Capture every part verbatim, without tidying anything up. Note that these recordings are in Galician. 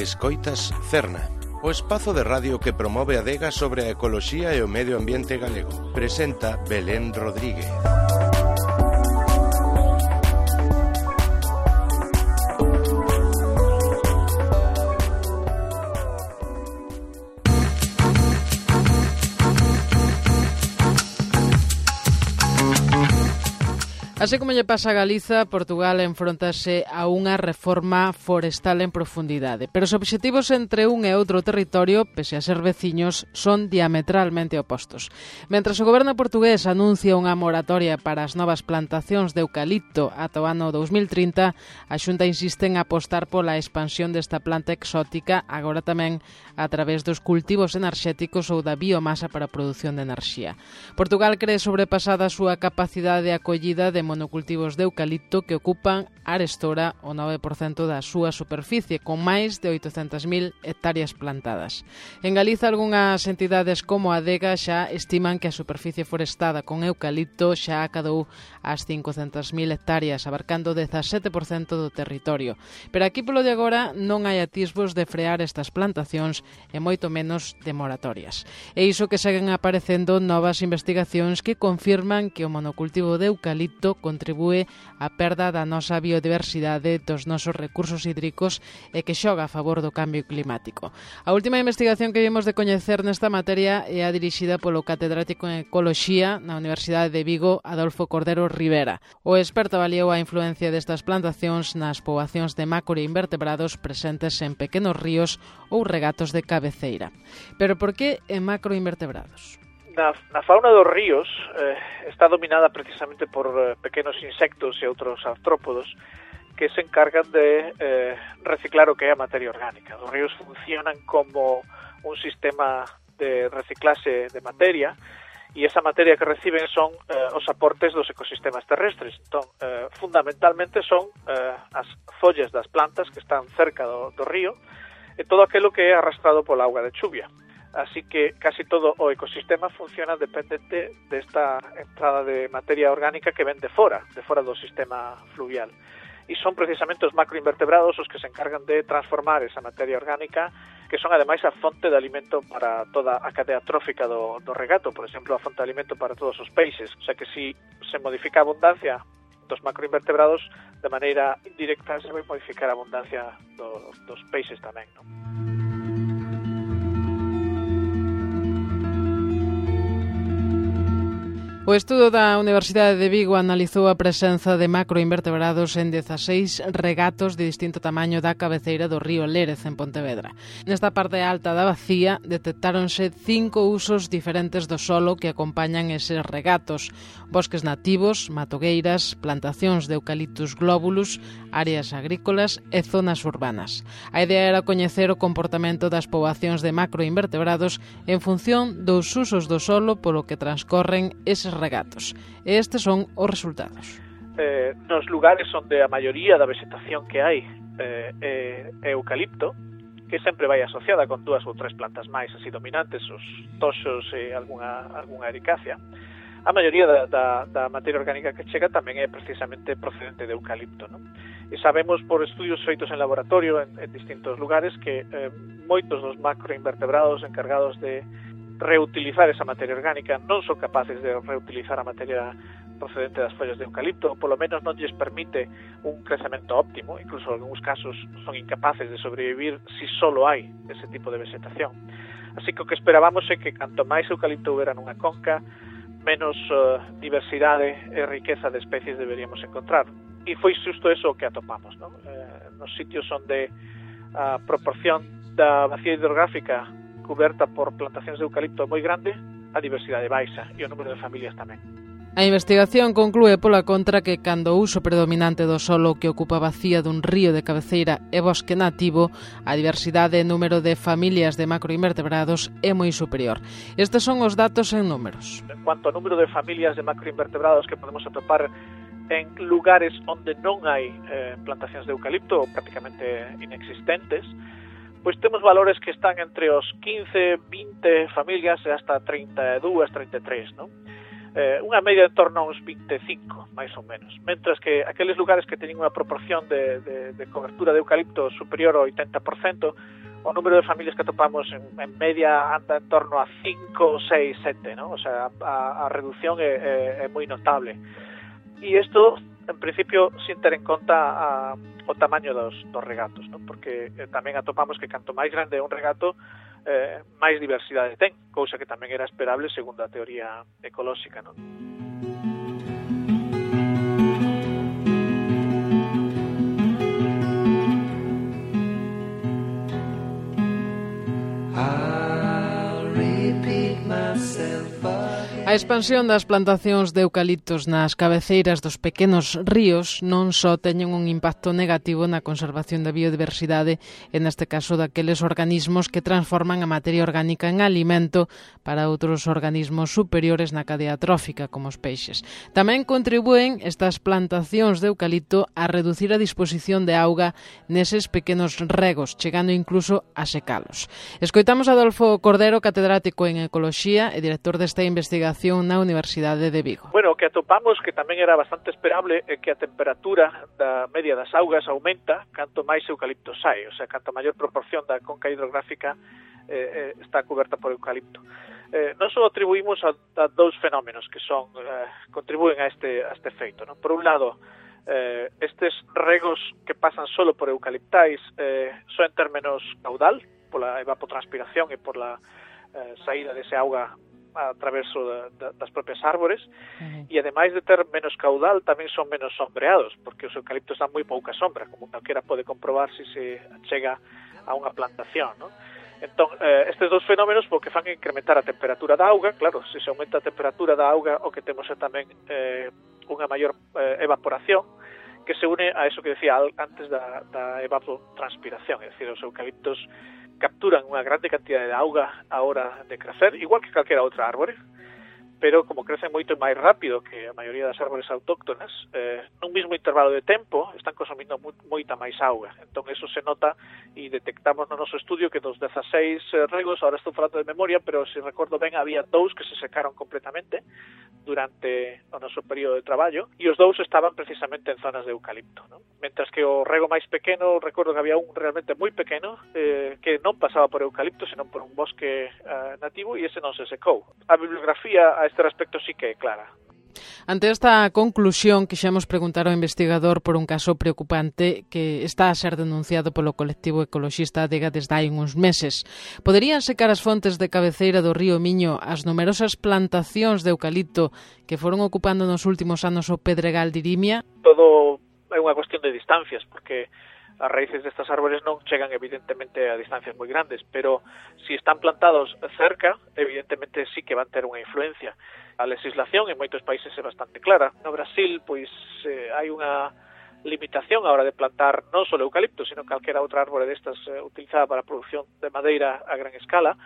Escoitas Cerna, o espazo de radio que promove a adega sobre a ecoloxía e o medio ambiente galego. Presenta Belén Rodríguez. Así como lle pasa a Galiza, Portugal enfrontase a unha reforma forestal en profundidade. Pero os obxectivos entre un e outro territorio, pese a ser veciños, son diametralmente opostos. Mentras o goberno portugués anuncia unha moratoria para as novas plantacións de eucalipto ata o ano dous mil trinta, a Xunta insiste en apostar pola expansión desta planta exótica, agora tamén a través dos cultivos enerxéticos ou da biomasa para a produción de enerxía. Portugal cree sobrepasada a súa capacidade de acollida de monocultivos de eucalipto que ocupan arestora o nove por cento da súa superficie, con máis de oitocentas mil hectáreas plantadas. En Galiza, algunhas entidades como a Adega xa estiman que a superficie forestada con eucalipto xa acadou as cincocentas mil hectáreas, abarcando o dezasete por cento do territorio. Pero aquí, polo de agora, non hai atisbos de frear estas plantacións e moito menos de moratorias. E iso que seguen aparecendo novas investigacións que confirman que o monocultivo de eucalipto contribúe á perda da nosa biodiversidade, dos nosos recursos hídricos e que xoga a favor do cambio climático. A última investigación que vimos de coñecer nesta materia é a dirixida polo catedrático en Ecoloxía na Universidade de Vigo, Adolfo Cordero Rivera. O experto avaliou a influencia destas plantacións nas poboacións de macroinvertebrados presentes en pequenos ríos ou regatos de cabeceira. Pero por que en macroinvertebrados? Na, na fauna dos ríos eh, está dominada precisamente por eh, pequenos insectos e outros artrópodos que se encargan de eh, reciclar o que é a materia orgánica. Os ríos funcionan como un sistema de reciclase de materia e esa materia que reciben son eh, os aportes dos ecosistemas terrestres. Entón, eh, fundamentalmente son eh, as follas das plantas que están cerca do, do río e todo aquilo que é arrastrado pola auga de chuvia. Así que casi todo o ecosistema funciona dependente desta entrada de materia orgánica que ven de fora, de fora do sistema fluvial. E son precisamente os macroinvertebrados os que se encargan de transformar esa materia orgánica, que son ademais a fonte de alimento para toda a cadea trófica do, do regato, por exemplo, a fonte de alimento para todos os peixes. O sea que si se modifica a abundancia dos macroinvertebrados, de maneira indirecta se vai modificar a abundancia do, dos peixes tamén, non? O estudo da Universidade de Vigo analizou a presenza de macroinvertebrados en dezaseis regatos de distinto tamaño da cabeceira do río Lérez, en Pontevedra. Nesta parte alta da bacía detectáronse cinco usos diferentes do solo que acompañan eses regatos: bosques nativos, matogueiras, plantacións de eucaliptus globulus, áreas agrícolas e zonas urbanas. A idea era coñecer o comportamento das poboacións de macroinvertebrados en función dos usos do solo polo que transcorren eses regatos. E estes son os resultados. Eh, nos lugares onde a maioría da vegetación que hai eh, é, é eucalipto, que sempre vai asociada con dúas ou tres plantas máis así dominantes, os toxos e algunha, algunha ericácea, a maioría da, da, da materia orgánica que chega tamén é precisamente procedente de eucalipto, non? E sabemos por estudios feitos en laboratorio en, en distintos lugares que eh, moitos dos macroinvertebrados encargados de reutilizar esa materia orgánica non son capaces de reutilizar a materia procedente das follas de eucalipto, ou polo menos non lles permite un crecemento óptimo, incluso en algúns casos son incapaces de sobrevivir si solo hai ese tipo de vegetación. Así que o que esperábamos é que canto máis eucalipto houbera nunha conca, menos uh, diversidade e riqueza de especies deberíamos encontrar. E foi xusto eso o que atopamos, non? Eh, nos sitios onde a proporción da vacía hidrográfica cuberta por plantacións de eucalipto moi grande, a diversidade baixa e o número de familias tamén. A investigación conclúe pola contra que cando o uso predominante do solo que ocupa a vacía dun río de cabeceira é bosque nativo, a diversidade e número de familias de macroinvertebrados é moi superior. Estes son os datos en números. En cuanto ao número de familias de macroinvertebrados que podemos atopar en lugares onde non hai eh, plantacións de eucalipto, prácticamente inexistentes, pois temos valores que están entre os quince, vinte familias e hasta trinta e dúas, trinta e tres, non? eh, unha media en torno a uns vinte e cinco, máis ou menos. Mentras que aqueles lugares que teñen unha proporción de, de, de cobertura de eucalipto superior ao oitenta por cento, o número de familias que atopamos en, en media anda en torno a cinco, seis, sete, ¿no? O sea, a, a reducción é, é, é moi notable. E isto, en principio, sin ter en conta a, o tamaño dos, dos regatos, ¿no? Porque eh, tamén atopamos que canto máis grande é un regato, eh, máis diversidade ten, cousa que tamén era esperable segundo a teoría ecolóxica, ¿no? A expansión das plantacións de eucaliptos nas cabeceiras dos pequenos ríos non só teñen un impacto negativo na conservación da biodiversidade, e neste caso daqueles organismos que transforman a materia orgánica en alimento para outros organismos superiores na cadea trófica, como os peixes. Tamén contribúen estas plantacións de eucalipto a reducir a disposición de auga neses pequenos regos, chegando incluso a secalos. Escoitamos a Adolfo Cordero, catedrático en Ecoloxía e director desta investigación na Universidade de Vigo. Bueno, o que atopamos, que tamén era bastante esperable, é que a temperatura da media das augas aumenta canto máis eucalipto sai, o sea, canto maior proporción da conca hidrográfica eh, está coberta por eucalipto. Eh, non só atribuímos a, a dous fenómenos que son eh, contribúen a este, a este efeito, ¿no? Por un lado, eh, estes regos que pasan solo por eucaliptais eh, son ter menos caudal pola evapotranspiración e por la eh, saída dese auga a traverso da, da, das propias árbores, uh-huh. E ademais de ter menos caudal tamén son menos sombreados, porque os eucaliptos dan moi pouca sombra, como calquera pode comprobar se se chega a unha plantación, ¿no? Entón, eh, estes dos fenómenos porque fan incrementar a temperatura da auga. Claro, se se aumenta a temperatura da auga, o que temos é tamén eh, unha maior eh, evaporación, que se une a eso que decía antes da, da evapotranspiración, é dicir, os eucaliptos capturan unha grande cantidad de auga a hora de crecer, igual que calquera outra árbore, pero como crecen moito máis rápido que a maioría das árbores autóctonas, eh, nun mismo intervalo de tempo están consumindo mu moita máis auga. Entón, eso se nota e detectamos no noso estudio que dos dezaseis eh, regos, ahora estou falando de memoria, pero se recordo ben, había dous que se secaron completamente durante o noso período de traballo, e os dous estaban precisamente en zonas de eucalipto, ¿no? Mentras que o rego máis pequeno, recordo que había un realmente moi pequeno, eh, que non pasaba por eucalipto, senón por un bosque eh, nativo, e ese non se secou. A bibliografía a este respecto sí que é clara. Ante esta conclusión, quixemos preguntar ao investigador por un caso preocupante que está a ser denunciado polo colectivo ecoloxista Adega desde hai uns meses. Poderían secar as fontes de cabeceira do río Miño as numerosas plantacións de eucalipto que foron ocupando nos últimos anos o Pedregal de Irimia? Todo é unha cuestión de distancias, porque as raíces destas árbores non chegan evidentemente a distancias moi grandes, pero se si están plantados cerca, evidentemente sí que van ter unha influencia. A legislación en moitos países é bastante clara. No Brasil, pois, eh, hai unha limitación a hora de plantar non só eucalipto, sino calquera outra árbore destas eh, utilizada para a produción de madeira a gran escala,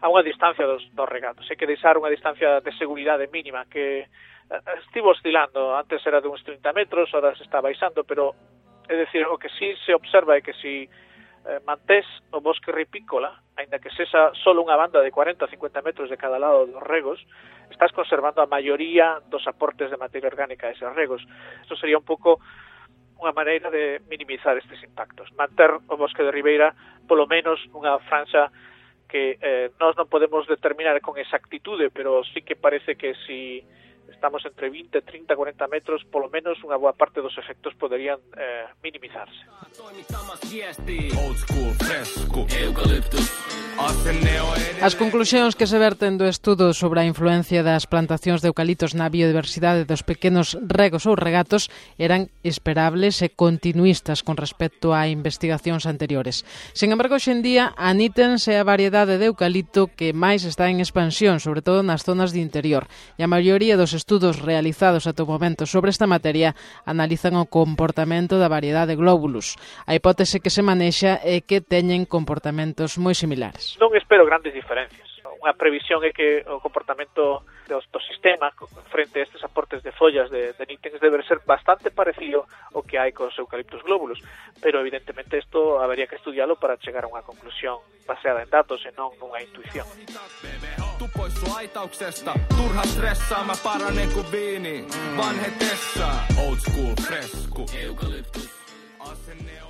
a unha distancia dos, dos regatos. Hai que deixar unha distancia de seguridade mínima que eh, estivo oscilando. Antes era de uns trinta metros, ahora se está baixando, pero é dicir, o que sí se observa é que si eh, mantés o bosque ripícola, aínda que sexa solo unha banda de cuarenta a cincuenta metros de cada lado dos regos, estás conservando a maioría dos aportes de materia orgánica a eses regos. Isto sería un pouco unha maneira de minimizar estes impactos. Manter o bosque de ribeira, polo menos, unha franxa que eh, nós non podemos determinar con exactitude, pero sí que parece que si estamos entre vinte, trinta, cuarenta metros, polo menos unha boa parte dos efectos poderían eh, minimizarse. As conclusións que se verten do estudo sobre a influencia das plantacións de eucaliptos na biodiversidade dos pequenos regos ou regatos eran esperables e continuistas con respecto a investigacións anteriores. Sen embargo, hoxendía anítense a variedade de eucalipto que máis está en expansión, sobre todo nas zonas de interior, e a maioría dos estudos realizados ata o momento sobre esta materia analizan o comportamento da variedade Globulus. A hipótese que se manexa é que teñen comportamentos moi similares. Non espero grandes diferencias. Unha previsión é que o comportamento do, do sistema frente a estes aportes de follas de, de nítenes debe ser bastante parecido ao que hai cos eucaliptus globulus, pero evidentemente isto habería que estudialo para chegar a unha conclusión baseada en datos e non nunha intuición. Vittu pois sun aitauksesta. Turha stressaa, mä paranen kuin viini. Vanhetessa. Old school fresku. Eukalyptus. Asenne